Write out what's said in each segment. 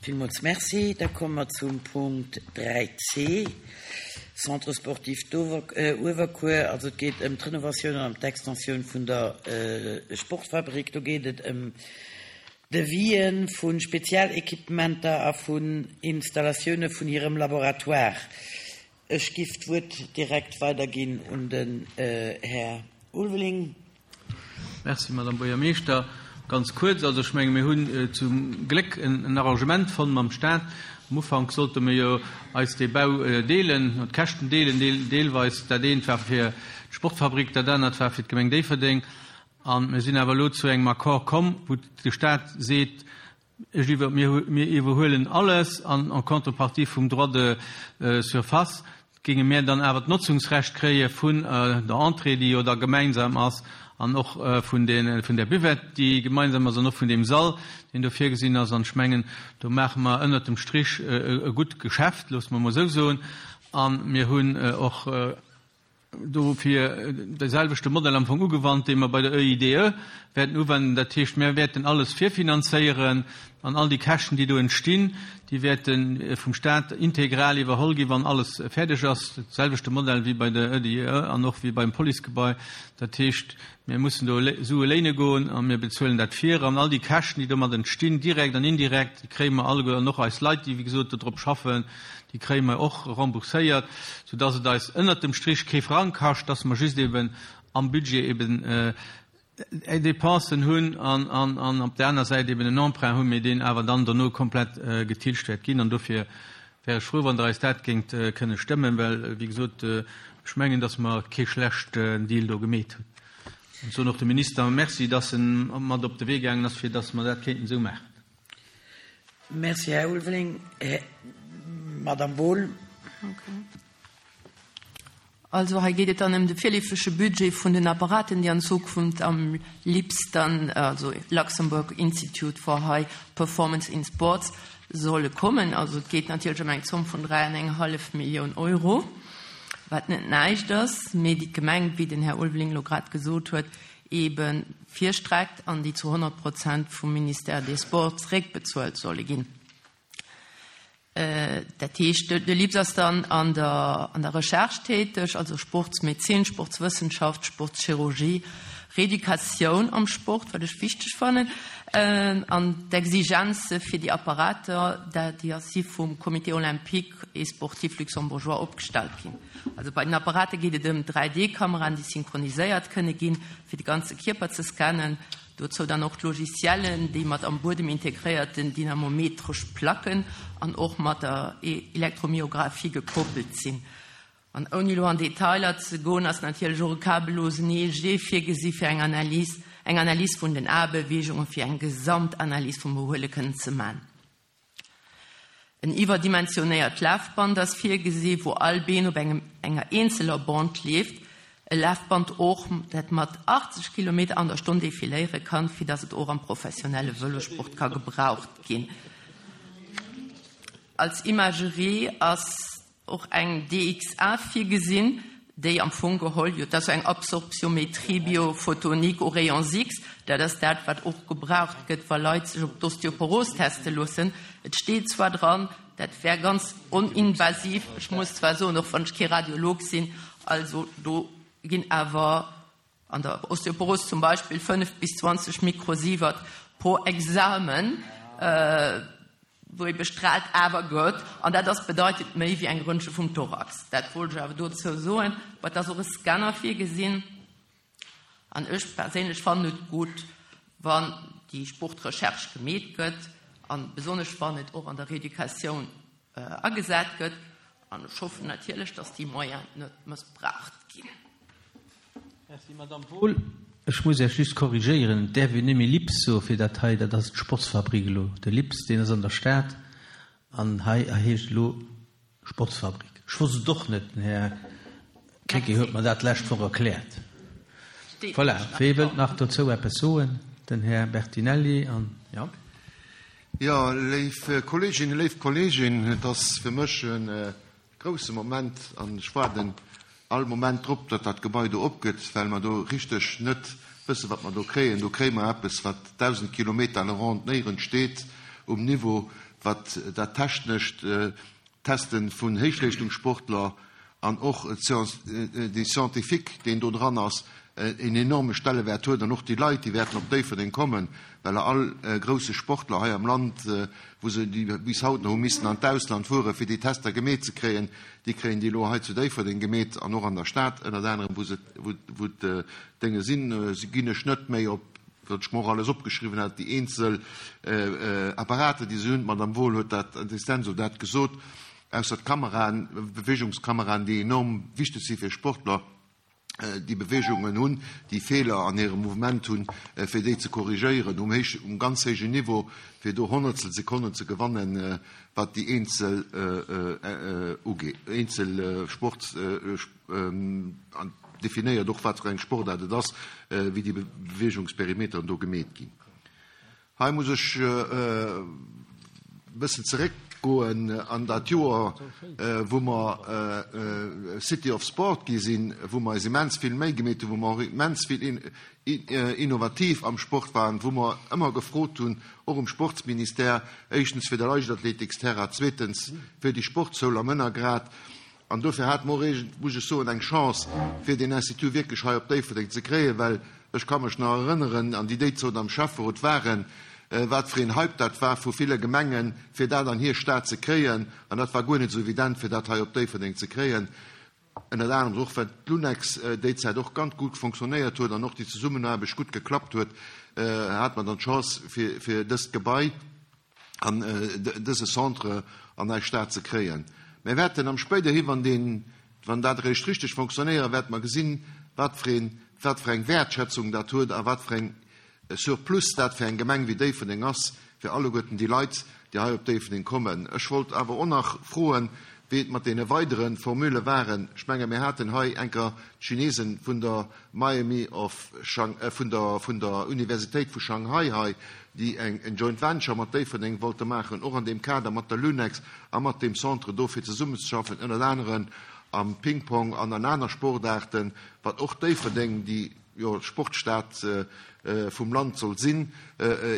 Villmools Merci. Da komme mer zum Punkt 3c, Centre sportif d'Uewerkuer. Also et geet ëm d'Renovatioun an ëm d'Extensioun vun der Sportfabrik. Do geet et ëm Devisë vu Spezialequipementer a vun Installatioune vun hirem Laboratoire. Ech giff d'Wuert direkt weiderginn un den Här Ulveling. Merci, Madame Buergermeeschter. Ganz kuerz, also ech menge mir hunn zum Gléck en Arrangement fonnt mam Stat. Am Ufank sollte mir jo eis dee Bau deelen, d'Käschten deelen deelweis. Dat eent war fir d'Sportfabrik, dat anert war fir d'Gemeng Déifferdeng. A mir sinn awer elo zu engem Accord komm, wou de Stat seet, Ech iwwer, mir, mir iwwerhuelen alles an en contrepartie vum Droit de surface géinge mir dann awer d'Notzungsrecht kréie vun der Entrée, déi jo da gemeinsam ass, an och vun de, vun der Buvette, déi gemeinsam ass, an och vun deem Sall, deen do virgesinn ass. An ech mengen, do maache mer ënnert dem Strich e gutt Geschäft, loosse mer emol esou soen. A mir hunn och dofir de selwechte Modell am Fong ugewannt, dee mer bei der EIDE wäerten uwenden. Dat heescht, mir wäerten alles virfinanzéieren an all déi Käschten, déi do entstinn, déi wäerte vum Stat integral iwwerholl ginn, wann alles fäerdeg ass. De selwechte Modell wéi bei der EIDE an och wéi beim Policegebai. Dat heescht, mir mussen do Sue léine goen a mir bezuelen dat vir. An all déi Käschten, déi domat entstinn, direkt an indirekt, déi kréie mer alleguer an och eis Leit, déi, wéi gesot, dodrop schaffen, Déi kréie mer och rembourséiert, soudass et eis ënnert dem Strich kee Frang kascht, dass mer just eben am Budget eben Dépensen hunn an op där aner Säit eben en Emprunt hunn, mee deen awer dann dono komplett getilgt wäert ginn. An dofir wär ech frou, wann Der eis dat géingt kënne stëmmen, well, wéi gesot, ech mengen, dass mer kee schlechten Deal do gemeet hunn. An soen och dem Minister Merci, dass en mat op de Wee gaangen ass, fir dass mer dat kéinten esou maachen. Merci, Här Ulveling. Madame Wohl. Also hei geet et dann ëm de virleefege Budget vun den Apparaten, déi an Zukunft am LIPS dann, also Luxembourg Institute for High Performance in Sports, solle kommen. Also et geet natierlech ëm eng Zomm vun 3 an eng hallef Millioun Euro, wat net näischt ass, mee déi d'Gemeng, wéi den Här Ulveling elo grad gesot huet, eebe virstreckt an déi zu 100 Prozent vum Ministère des Sports zeréckbezuelt solle ginn. Dat heescht, de LIPS ass dann an der, an der Recherche täteg, also Sportsmedezin, Sportswëssenschaft, Sportschirurgie, Reeducatioun am Sport, wat ech wichteg fannen, an d'Exigenze fir déi Apparater, déi si vum Comité olympique et sportif luxembourgeois opgestallt ginn. Also bei den Apparate geet et ëm 3D-Kameraen, déi synchroniséiert kënne ginn, fir de ganze Kierper ze scannen. Dozou dann och d'Logiciellen, déi mat am Buedem integréierten dynamometresch Placken an och mat der Elektromyographie gekoppelt sinn. An ouni elo an Detailer ze goen, ass natierlech och e kabellosen EEG virgesi fir eng Analys, eng Analys vun den Aebeweegungen, fir eng Gesamtanalys vum Behuele kënnen ze man. En iwwerdimensionéiert Lafband ass virgesi wou all Been op engem enger eenzeler Bande leeft. E Lafband och, dat mat 80 Kilometer an der Stonn defiléiere kann, fir datt et och am professionelle Vëlosport ka gebraucht ginn. Als Imagerie ass och eng DXA virgesinn, déi am Fong geholl, jo, dat ass eng Absorptiométrie biophotonique aux rayons X, dat ass dat, wat och gebraucht gëtt, wa Leit sech op d'Osteoporos teste loossen. Et steet zwar dran, dat wär ganz oninvasiv, ech muss zwar soen, och wann ech kee Radiolog sinn, also do ginn awer An der Osteoporos zum Beispill 5 bis 20 Mikrosievert pro Examen, wou ee bestraalt awer gëtt, an dat ass bedeitend méi wéi eng Röntge vum Thorax. Dat wollt ech awer dozou soen. Mä et ass och e Scanner virgesinn, an ech perséinlech fannen et gutt, wann déi Sportrecherche gemeet gëtt, a besonnesch wann et och an der Rééducatioun agesat gëtt. An ech hoffen natierlech, dass déi Moyenen net mëssbraucht ginn. Merci, Madamm Wohl. Ech muss Iech just korrigéieren, Et däerf een net méi LIPS soe fir dat hei. Dat ass d'Sportsfabrik elo. De LIPS, deen ass an der Stad, an hei heescht elo Sportsfabrik. Ech wosst et och net. Den Här Krecké huet mer dat d'lescht Woch erkläert. Voilà. Wee wëllt nach dozou eppes soen? Den Här Bertinelli an, jo. Jo, léif Kolleeginnen, léif Kolleegen, et ass fir mech e grousse Moment an ech waarden all Moment drop, datt dat Gebai do opgëtt, well mer do richteg net wëssen, wat mer do kréien. Do kréie mer eppes, wat 1.000 Kilometer à la ronde néierens steet um Niveau. wat dat technescht Testen vun Héichleeschtungssportler an och dee Scientifique, deen do dran ass, en enorme Stellewäert huet. An och déi Leit, déi wäerten op Déifferdeng kommen, well all grousse Sportler hei am Land, wou se bis haut nach hu missen an d'Ausland fueren, fir déi Tester gemeet ze kréien, déi kréien déi elo hei zu Déifferdeng gemeet an och an der Stad ënnert anerem, wou se, wou d'Dénge sinn. Ginn ech net méi op wat ech mer och alles opgeschriwwen hat, déi eenzel Apparater, déi se hunn, d'Madame Wohl huet dat in extenso dat gesot, ausser d'Kameraen, Beweegungskameraen, déi enorm wichteg si fir Sportler, déi Beweegungen hunn, déi Feeler an hirem Mouvement hunn, fir déi ze korrigéieren um héich, um ganz héijen Niveau, fir do Honnertstelsekonnen ze gewannen, wat déi eenzel ugeet, eenzel Sport, An definéiert och, wat fir eng Sportaart et ass, wéi déi Beweegungsperimeteren do gemeet ginn. Hei muss ech e bëssen zeréckgoen an dat Joer, wou mer City of Sport gi sinn, wou mer eis immens vill Méi gemeet hunn, wou mer och immens vill innovativ am Sport waren, wou mer ëmmer gefrot hunn, och um Sportsministère, éischtens fir de Leichtathletiksterrain, zweetens fir déi Sportsschoul am Ënnergrad, An dofir hate mer och iergend, muss ech soen, eng Chance, fir deen Institut wierklech hei op Déifferdeng ze kréien, well ech ka mech nach erënneren, an déi déizot am Schäfferot waren, wat fir een Hype dat war vu ville Gemengen, fir dat an hir Stad ze kréien. An dat war guer net esou evident, fir dat hei op Déifferdeng ze kréien, ënnert anerem och well d'Lunex déizäit och ganz gutt fonctionnéiert huet an och déi Zesummenaarbecht gutt geklappt huet, hate mer dann d'Chance, fir dëst Gebai, an dëse Centre an eis Stad ze kréien. Mir wäerten am spéiderhi, wann deen, wann dat eréischt richteg fonctionnéiert, wäerte mer gesinn, wat fir een, wat fir eng Wäertschätzung dat huet a wat fir eng Surplus dat fir eng Gemeng wéi Déifferdeng ass, fir alleguerten déi Leit, déi hei op Déifferdeng kommen. Ech wollt awer och nach froen, wéi et mat deene weidere Formule waren. Ech menge mir haten hei enker d'Chinesen vun der Miami of Shang, vun der, vun der Universitéit vu Shanghai hei, déi eng, en Joint Venture mat Déifferdeng wollte maachen, och an deem Kader mat der Lunex a mat deem Centre do fir zesummenzeschaffen, ënnert aneren am Ping-Pong an an aner Sportaarten, wat och Déifferdeng, déi jo d'Sportstad vum Land soll sinn,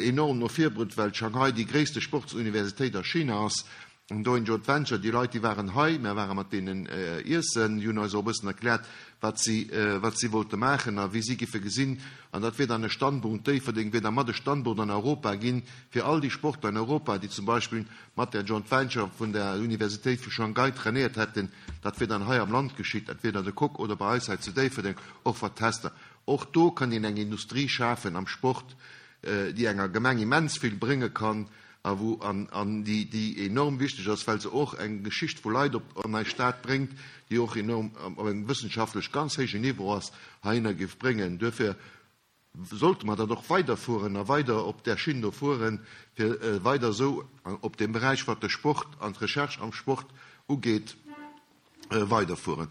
enorm no vir brëtt, well Shanghai déi gréisste Sportsuniversitéit a China ass. An do een Joint Venture, déi Leit, déi waren hei, mär ware mat deenen iessen, déi hunn eis och e bëssen erkläert, wat si, wat si wollte maachen a wéi si giffe gesinn. An dat wier dann e Standpunkt, Déifferdeng wier da mat e Standpunkt an Europa ginn, fir all déi Sportler an Europa, déi zum Beispill mat där Joint Venture vun der Universitéit vu Shanghai trainéiert hätten, dat wier dann hei am Land geschitt, entweder de Coque oder bei eis hei zu Déifferdeng, och wat d'Tester. Och do kann een eng Industrie schafen am Sport, déi enger Gemeng immens vill brénge kann, a wou an an déi déi enorm wichteg ass, well se och eng Geschicht vu Leit op an eis Stad bréngt, déi och enorm op engem wëssenschaftlech ganz héijen Niveau ass, heihinner géif bréngen. Duerfir sollte mer dat och weiderfueren a weider op där Schinn do fueren, fir weider esou op deem Beräich, wat de Sport an d'Recherche am Sport ugeet, weiderfueren.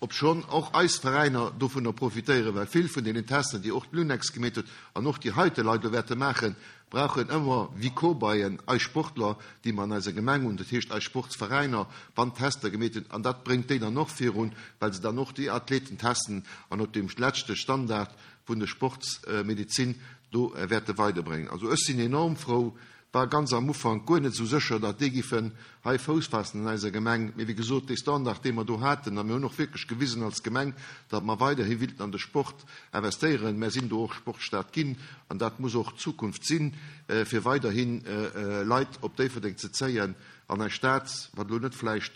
Obschonn och eis Veräiner dovunner profitéieren, well vill vun deenen Testen, déi och d'Lunex gemeet huet an och déi heite Leit elo wäerte maachen, brauchen ëmmer wéi Cobayen eis Sportler, déi mer an eiser Gemeng hunn, dat heescht eis Sportsveräiner, wann Tester gemeet hunn. An dat bréngt déi dann och virun, well se dann och déi Athleten testen an op deem leschte Standard vun der Sportsmedezin do wäerte weiderbréngen. Also ech sinn enorm frou, War ganz am Ufank guer net esou sécher, datt déi giffen hei Fouss faassen an eiser Gemeng. Mee wéi gesot, dee Standard, dee mer do haten, a mir hunn och wierklech gewisen als Gemeng, datt mer weiderhi willten an de Sport investéieren. Mär sinn do och Sportstad ginn an dat muss och d'Zukunft sinn, fir weiderhi Leit op Déifferdeng ze zéien an eis Stad, wat elo net vläicht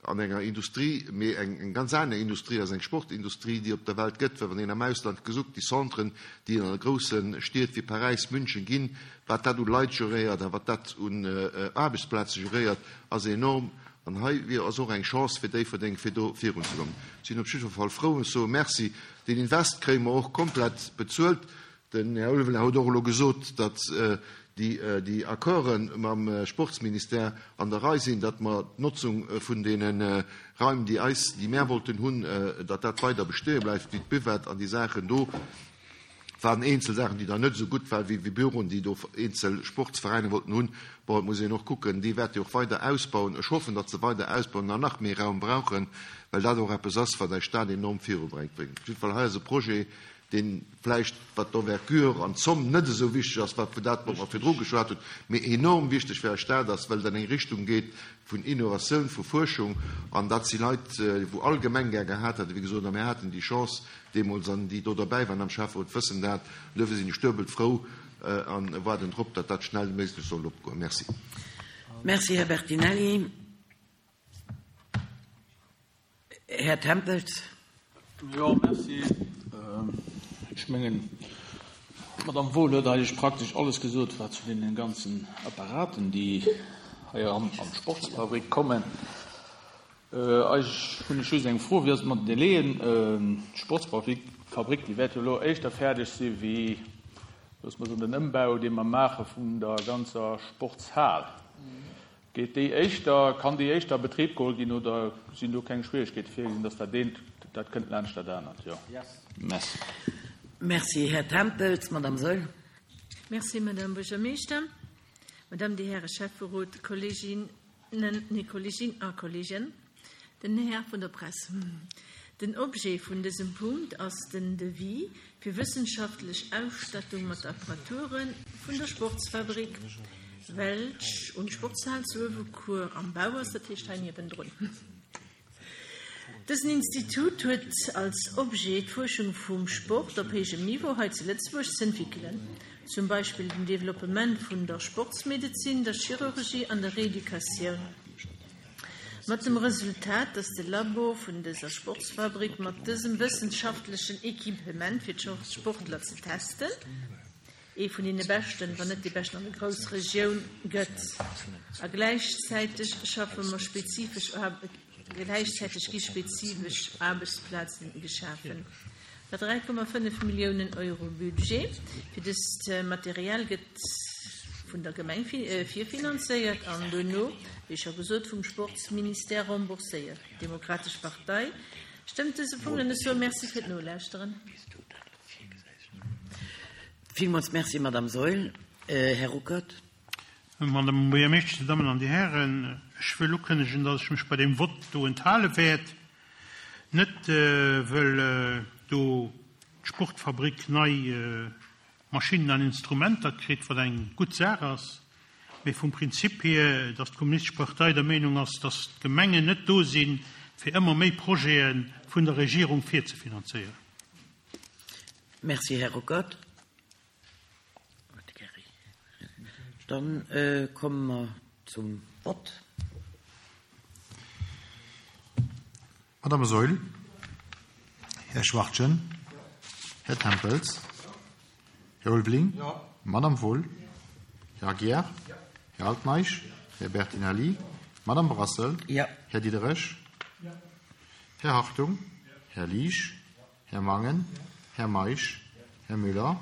an enger Industrie, mee eng ganz aner Industrie ass, eng Sportindustrie, déi op der Welt gëtt, well wann een am Ausland gesuckt déi Centren, déi an grousse Stied wéi Paräis, München ginn, wat dat u Leit geréiert a wat dat un Aarbechtsplaze geréiert, ass enorm. An hei wier ass och eng Chance fir Déifferdeng, fir do virunzekommen. Ech sinn op jiddwer Fall frou. Ech soe Merci. Deen Invest kréie mer och komplett bezuelt. Den Här Ulveling huet och elo gesot, datt déi Accorde mam Sportsministère an der Rei sinn, datt mer d'Notzung vun deene Raim, déi eis, déi mär wollten hunn, datt dat weider besteeë bleift, wéi d'Buvette an déi Saachen do. Et waren eenzel Saachen, déi dann net esou gutt waren, wéi Büroen, déi do eenzel Sportsveräiner wollten hunn. Bon, et muss een och kucken, déi wäerte jo och weider ausbauen. Ech hoffen, datt se weider ausbauen an nach méi Raum brauchen, well dat och eppes ass, wat eis Stad enorm virubréngt. Op jiddwer Fall, hei ass e Projet. Deen vläicht, wat d'Envergure an d'Zomm net esou wichteg ass, wat vu dat, wat mer virdru geschwat hunn, mee enorm wichteg fir eis Stad ass, well et an eng Richtung geet vun Innovatioun, vu Fuerschung. An dat si Leit, wou all Gemeng gär gehat hätt, wéi gesot, a mir haten déi Chance deemools, an déi do derbäi waren am Schäfferot wëssen dat. An duerfir sinn ech duebelt frou a waarden drop, datt dat schnellméiglech soll opgoen. Merci. Merci, Här Bertinelli. Här Tempels. Jo, merci. Ech mengen, d'Madame Wohl huet eigentlech praktesch alles gesot, wat zu deene ganzen Apparaten, déi hei eran an d'Sportsfabrik kommen. Eigentlech hunn ech just eng Fro, Wéi ass et mat den Délaiën? D'Sportsfabrik, déi wäert jo elo éischter fäerdeg si wéi, loosse mer soen, den Ëmbau, dee mer maache vun der ganzer Sportshal. Geet déi éischter, kann déi éischter a Betrib geholl ginn oder sinn do keng Schwierigkeete virgesinn, dass dat eent, dat kënnt laanscht dat anert? Jo. Merci. Merci, Här Tempels. Madame Saeul. Merci, Madame Buergermeeschter, Madame, Dir Häre Schäfferot, Kolleginnen, nee, Kollegin a Kollegen, den Här vun der Press. Den Objet vun dësem Punkt ass den Devis fir wëssenschaftlech Ausstattung mat Apparature vun der Sportsfabrik, welch un d'Sportshal zu Uewecuer am Bau ass, dat heescht hei niewendrun. Dësen Institut huet als Objet d'Fuerschung vum Sport op héijem Niveau hei zu Lëtzebuerg z'entwikelen, zum Beispill den Developpement vun der Sportsmedezin, der Chirurgie an der Reeducatioun. Mat dem Resultat, dass de Labo vun dëser Sportsfabrik mat dësem wëssenschaftlechen Equipement fir d'Sportler ze testen, ee vun deene beschten, wann net dee beschten an der Groussregioun gëtt. A gläichzäiteg schaffe mer spezifesch, gläichzäiteg gi spezifesch Aarbechtsplazen geschafen. Bei 3,5 Milliounen Euro Budget fir dëst Material gëtt vun der Gemeng virfinanzéiert an duerno, wéi scho gesot, vum Sportsministère rembourséiert. D'Demokratesch Partei stëmmt dëse Punkt an ech soe Merci fir d'Nolauschteren. Villmools Merci, Madame Saeul. Här Ruckert. Madame Buergermeeschtesch, Dir Dammen an Dir Hären, ech wëll ukënnegen, dass ech mech bei deem Vott do enthale wäert. Net wëll do d'Sportfabrik nei Maschinnen an Instrumenter kritt, wat eng gutt Saach ass, mee vum Prinzip hier, dass d'Kommunistesch Partei der Meenung ass, dass d'Gemengen net do sinn, fir ëmmer méi Projete vun der Regierung virzefinanzéieren. Merci, Här Ruckert. Dann komme mer zum Vott. Madame Saeul, Här Schwachtgen, Här Tempels, Här Ulveling, Madame Wohl, Här Aguiar, Här Altmeisch, Här Bertinelli, Madame Brassel, Här Diderich, Här Hartung, Här Liesch, Här Mangen, Här Meisch, Här Müller,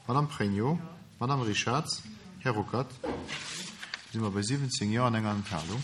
Madame Pregno, Madame Richarz, Här Ruckert. Da si mer bei 17 Jo an enger Enthalung.